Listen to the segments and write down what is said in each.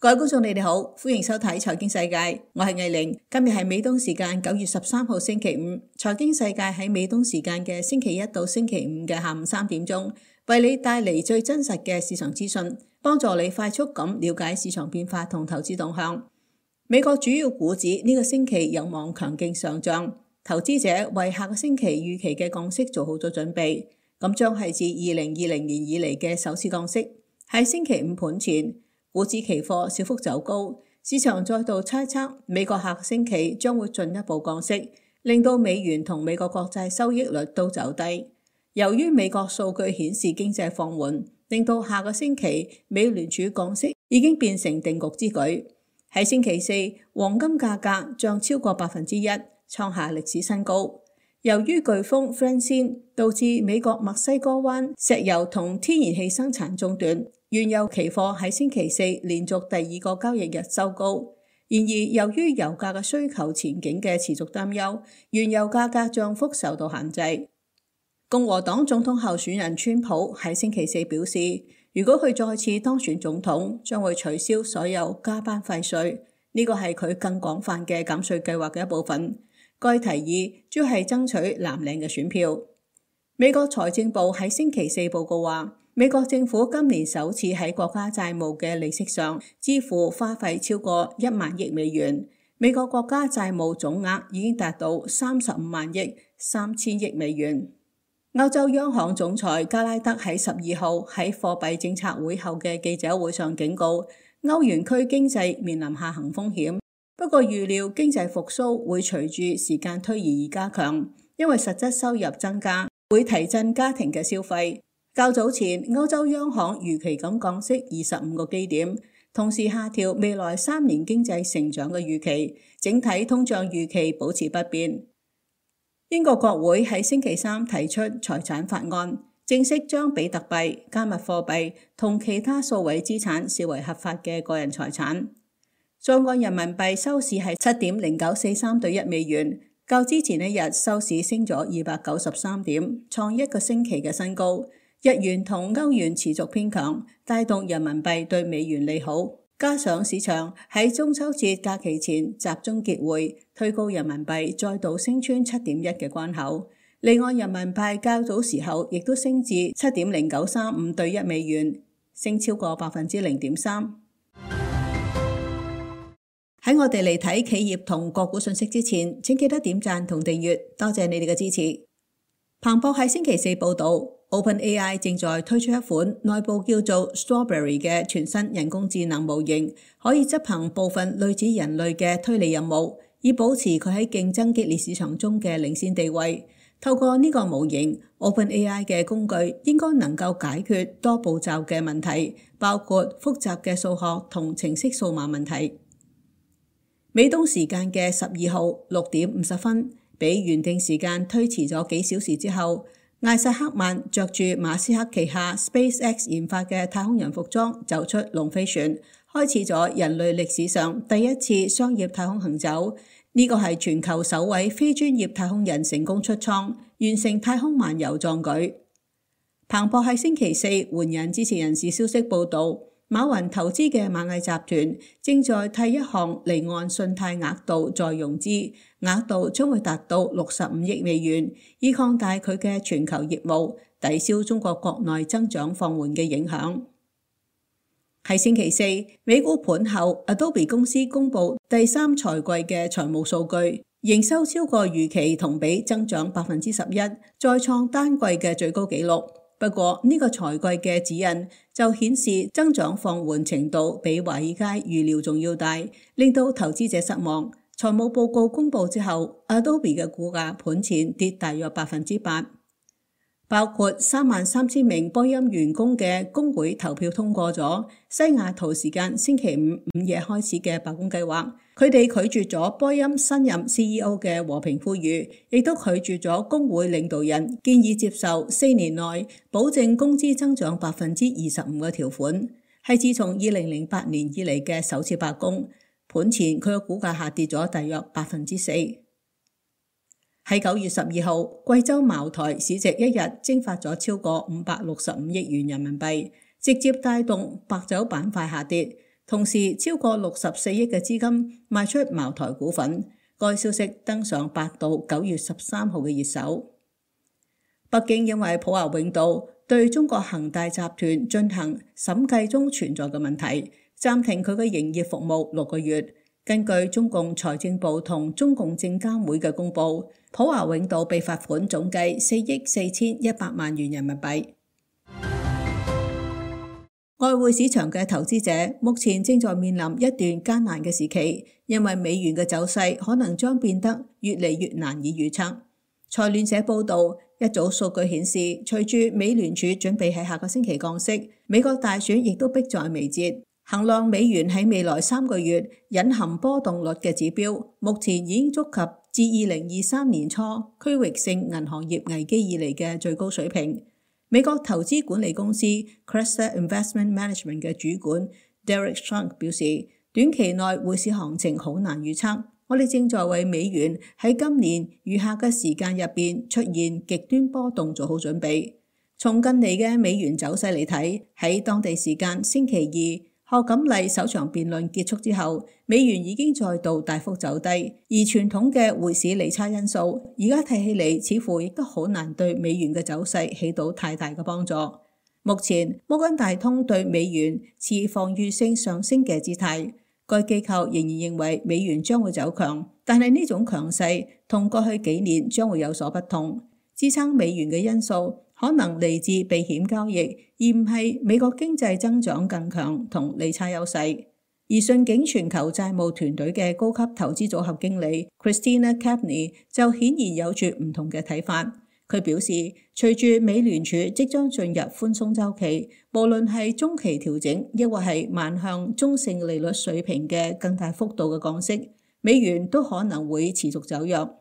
各位觀眾，你哋好，歡迎收睇財經世界，我係藝玲。今日係美東時間9月13號星期五，財經世界喺美東時間嘅星期一到星期五嘅下午3點鐘，為你帶嚟最真實嘅市場資訊，幫助你快速咁了解市場變化同投資動向。美國主要股指呢個星期有望強勁上漲，投資者為下個星期預期嘅降息做好咗準備，咁將係自2020年以嚟嘅首次降息。喺星期五盤前，股指期貨小幅走高，市場再度猜測美國下個星期將會進一步降息，令到美元同美國國債收益率都走低。由於美國數據顯示經濟放緩，令到下個星期美聯儲降息已經變成定局之舉。喺星期四，黃金價格漲超過1%，創下歷史新高。由於颶風 Francine 導致美國墨西哥灣石油同天然氣生產中斷，原油期貨喺星期四連續第二個交易日收高。然而，由於油價嘅需求前景嘅持續擔憂，原油價格漲幅受到限制。共和黨總統候選人川普喺星期四表示，如果佢再次當選總統，將會取消所有加班費稅，呢個係佢更廣泛嘅減稅計劃嘅一部分。該提議主要係爭取藍領嘅選票。美國財政部喺星期四報告話，美國政府今年首次喺國家債務嘅利息上支付花費超過1萬億美元，美國國家債務總額已經達到35萬億3千億美元。歐洲央行總裁加拉德喺12號喺貨幣政策會後嘅記者會上警告，歐元區經濟面臨下行風險。不過預料經濟復甦會隨住時間推移而加強，因為實質收入增加會提振家庭嘅消費。較早前，歐洲央行預期咁降息25個基點，同時下調未來3年經濟成長嘅預期，整體通脹預期保持不變。英國國會喺星期三提出財產法案，正式將比特幣、加密貨幣同其他數位資產視為合法嘅個人財產。在岸人民幣收市係7.0943對1美元，較之前一日收市升咗293點，創一個星期嘅新高。日元同歐元持續偏強，帶動人民幣對美元利好。加上市場喺中秋節假期前集中結匯，推高人民幣再度升穿7.1嘅關口。離岸人民幣較早時候亦都升至7.0935對1美元，升超過0.3%。喺我哋嚟睇企業同個股信息之前，請記得點讚同訂閱，多謝你哋嘅支持。彭博喺星期四報道， OpenAI 正在推出一款內部叫做 Strawberry 嘅全新人工智能模型，可以執行部分類似人類嘅推理任務，以保持佢喺競爭激烈市場中嘅領先地位。透過呢個模型， OpenAI 嘅工具應該能夠解決多步驟嘅問題，包括複雜嘅數學同程式數碼問題。美東時間嘅12號6點50分，比原定時間推遲咗幾小時之後，艾薩克曼着住馬斯克旗下 SpaceX 研發嘅太空人服裝走出龍飛船，開始咗人類歷史上第一次商業太空行走。呢個係全球首位非專業太空人成功出艙，完成太空漫遊壯舉。彭博喺星期四援引知情人士消息報道，馬雲投資嘅螞蟻集團正在替一項離岸信貸額度再融資，額度將會達到65億美元，以擴大佢嘅全球業務，抵消中國國內增長放緩嘅影響。喺星期四，美股盤後 Adobe 公司公布第3財季嘅財務數據，營收超過預期，同比增長11%，再創單季嘅最高紀錄。不過呢個財季嘅指引就顯示增長放緩程度比華爾街預料仲要大，令到投資者失望。財務報告公布之後， Adobe 嘅股價盤前跌大約8%。包括33000名波音員工嘅工會投票通過咗西雅圖時間星期五午夜開始嘅罷工計劃。佢哋拒絕咗波音新任 CEO 嘅和平呼籲，亦都拒絕咗工會領導人建議接受4年內保證工資增長25%嘅條款，係自從2008年以嚟嘅首次罷工。盤前佢嘅股價下跌咗大約4%。喺9月12號，貴州茅台市值一日蒸發咗超過565億元人民幣，直接帶動白酒板塊下跌，同時超過64億嘅資金賣出茅台股份。該消息登上百度9月13號嘅熱搜。北京因為普華永道對中國恒大集團進行審計中存在嘅問題，暫停佢嘅營業服務6個月。根據中共財政部同中共證監會嘅公佈，普華永道被罰款總計4億4100萬元人民幣。外匯市場嘅投資者目前正在面臨一段艱難嘅時期，因為美元嘅走勢可能將變得越嚟越難以預測。財聯社報導，一組數據顯示，隨住美聯儲準備喺下個星期降息，美國大選亦都迫在眉睫。衡量美元喺未來3個月隱含波動率嘅指標，目前已經觸及自2023年初區域性銀行業危機以嚟嘅最高水平。美國投資管理公司 Cresta Investment Management 嘅主管 Derek Strunk 表示，短期內匯市行情好難預測。我哋正在為美元喺今年餘下嘅時間入邊出現極端波動做好準備。從近嚟嘅美元走勢嚟睇，喺當地時間星期二，賀錦麗首場辯論結束之後，美元已經再度大幅走低，而傳統嘅匯市利差因素，而家睇起嚟似乎亦都好難對美元嘅走勢起到太大嘅幫助。目前摩根大通對美元持防禦性上升嘅姿態，該機構仍然認為美元將會走強，但係呢種強勢同過去幾年將會有所不同。支撐美元嘅因素可能嚟自避險交易，而唔係美國經濟增長更強同利差優勢。而順景全球債務團隊嘅高級投資組合經理 Christina Capney 就顯然有住唔同嘅睇法。佢表示，隨住美聯儲即將進入寬鬆週期，無論係中期調整，抑或係邁向中性利率水平嘅更大幅度嘅降息，美元都可能會持續走弱。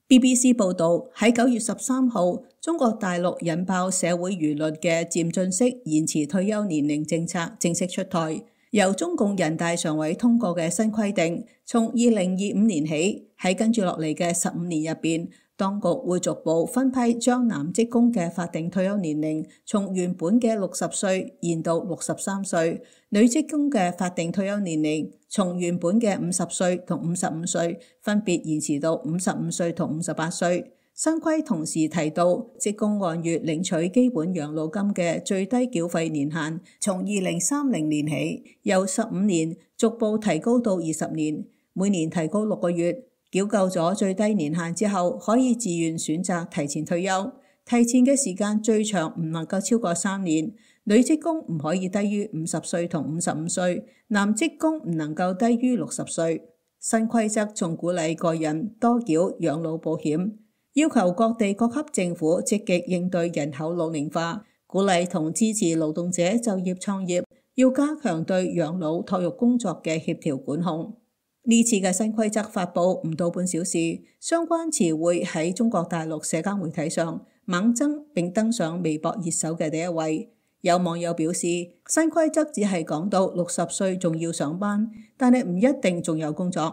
BBC 報導，喺9月13號，中國大陸引爆社會輿論嘅漸進式延遲退休年齡政策正式出台。由中共人大常委通過嘅新規定，從2025年起，喺跟住落嚟嘅15年入邊，當局會逐步分批將男職工嘅法定退休年齡從原本嘅60歲延到63歲，女職工嘅法定退休年齡從原本嘅50歲同55歲分別延遲到55歲同58歲。新規同時提到，職工按月領取基本養老金嘅最低繳費年限，從2030年起由15年逐步提高到20年，每年提高6個月。繳夠咗最低年限之後，可以自願選擇提前退休。提前嘅時間最長唔能夠超過3年。女職工唔可以低於50歲同55歲，男職工唔能夠低於60歲。新規則仲鼓勵個人多繳養老保險，要求各地各級政府積極應對人口老齡化，鼓勵同支持勞動者就業創業，要加強對養老托育工作嘅協調管控。呢次嘅新規則發布唔到半小時，相關詞彙喺中國大陸社交媒體上猛增，並登上微博熱搜嘅第一位。有網友表示，新規則只係講到60歲仲要上班，但係唔一定仲有工作。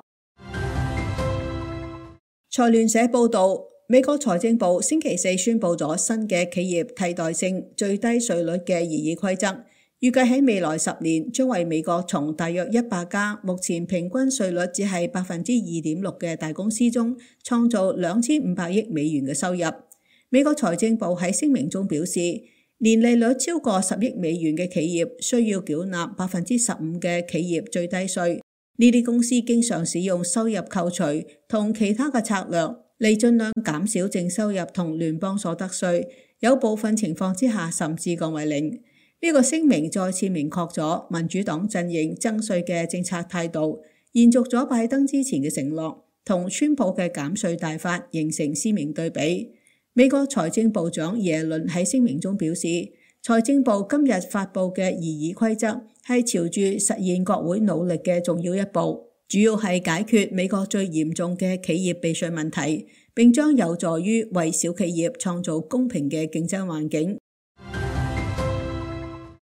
財聯社報導，美國財政部星期四宣布咗新嘅企業替代性最低稅率嘅擬議規則。預計喺未來10年，將為美國從大約100家目前平均稅率只係2.6%嘅大公司中，創造2500億美元嘅收入。美國財政部喺聲明中表示，年利率超過10億美元嘅企業需要繳納15%嘅企業最低稅。呢啲公司經常使用收入扣除同其他嘅策略嚟盡量減少淨收入同聯邦所得稅，有部分情況之下甚至降為零。呢個聲明再次明確咗民主黨陣營徵稅嘅政策態度，延續咗拜登之前嘅承諾，同川普嘅減稅大法形成鮮明對比。美國財政部長耶倫喺聲明中表示，財政部今日發布嘅擬議規則係朝住實現國會努力嘅重要一步，主要係解決美國最嚴重嘅企業避稅問題，並將有助於為小企業創造公平嘅競爭環境。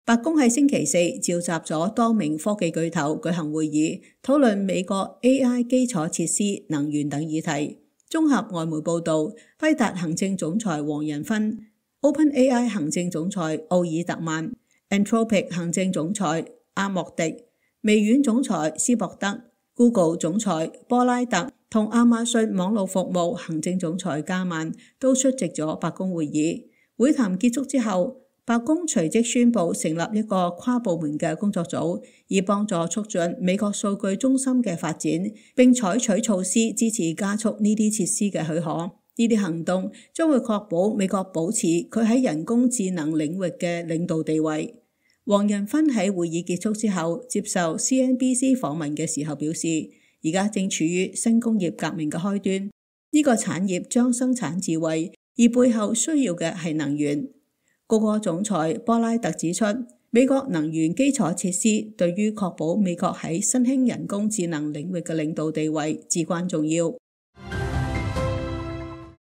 白宮喺星期四召集咗多名科技巨頭舉行會議，討論美國 AI 基礎設施、能源等議題。綜合外媒報導，輝達行政總裁黃仁勳、OpenAI 行政總裁奧爾特曼、Anthropic 行政總裁阿莫迪、微軟總裁斯博德、Google 總裁波拉特同亞馬遜網絡服務行政總裁加曼都出席咗白宮會議。會談結束之後，白宮隨即宣布成立一個跨部門嘅工作組，以幫助促進美國數據中心嘅發展，並採取措施支持加速呢啲設施嘅許可。呢啲行動將會確保美國保持佢喺人工智能領域嘅領導地位。黃仁勳喺會議結束之後接受 CNBC 訪問嘅時候表示，而家正處於新工業革命嘅開端，呢個產業將生產智慧，而背後需要嘅係能源。谷歌總裁波拉特指出，美國能源基礎設施對於確保美國喺新興人工智能領域嘅領導地位至關重要。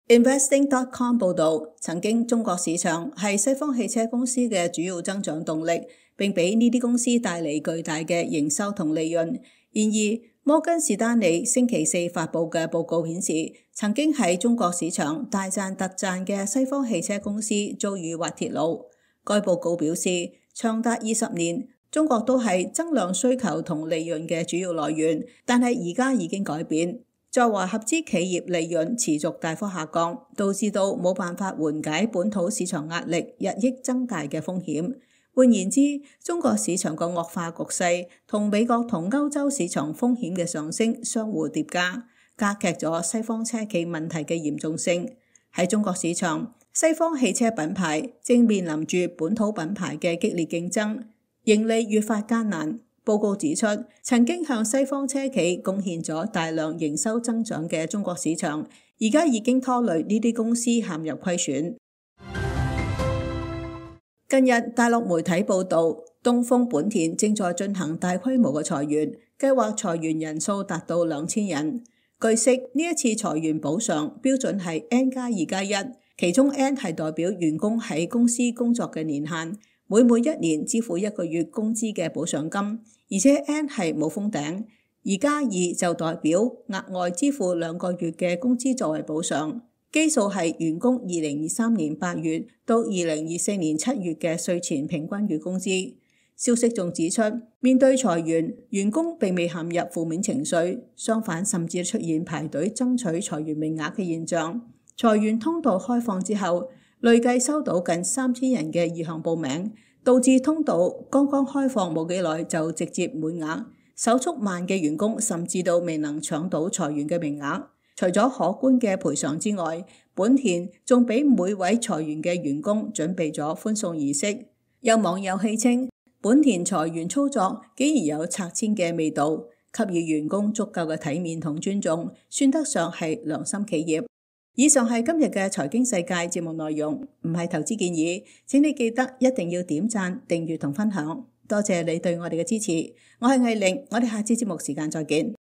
Investing.com 報導，曾經中國市場係西方汽車公司嘅主要增長動力，並俾呢啲公司帶嚟巨大嘅營收同利潤。然而，摩根士丹利星期四發佈嘅報告顯示，曾經喺中國市場大賺特賺嘅西方汽車公司遭遇滑鐵盧。該報告表示，長達20年，中國都係增量需求同利潤嘅主要來源，但係而家已經改變。在華合資企業利潤持續大幅下降，導致到冇辦法緩解本土市場壓力日益增大嘅風險。換言之，中國市場個惡化局勢同美國同歐洲市場風險嘅上升相互疊加，加劇咗西方車企問題嘅嚴重性。喺中國市場，西方汽車品牌正面臨住本土品牌嘅激烈競爭，盈利越發艱難。報告指出，曾經向西方車企貢獻咗大量營收增長嘅中國市場，而家已經拖累呢啲公司陷入虧損。近日，大陸媒體報道，東風本田正在進行大規模嘅裁員，計劃裁員人數達到2000人。據悉，呢一次裁員補償標準係 N+2+1，其中 N 係代表員工喺公司工作嘅年限，每1年支付1個月工資嘅補償金，而且 N 係冇封頂，而+2就代表額外支付2個月嘅工資作為補償。基數係員工2023年8月到2024年7月嘅稅前平均月工資。消息仲指出，面對裁員，員工並未陷入負面情緒，相反甚至出現排隊爭取裁員名額嘅現象。裁員通道開放之後，累計收到近3000人嘅意向報名，導致通道剛剛開放冇幾耐就直接滿額。手速慢嘅員工甚至都未能搶到裁員嘅名額。除咗可觀嘅賠償之外，本田仲俾每位裁員嘅員工準備咗歡送儀式。有網友戲稱，本田裁員操作竟然有拆遷嘅味道，給予員工足夠嘅體面同尊重，算得上係良心企業。以上係今日嘅財經世界節目內容，唔係投資建議，請你記得一定要點讚、訂閱同分享。多謝你對我哋嘅支持，我係魏玲，我哋下次節目時間再見。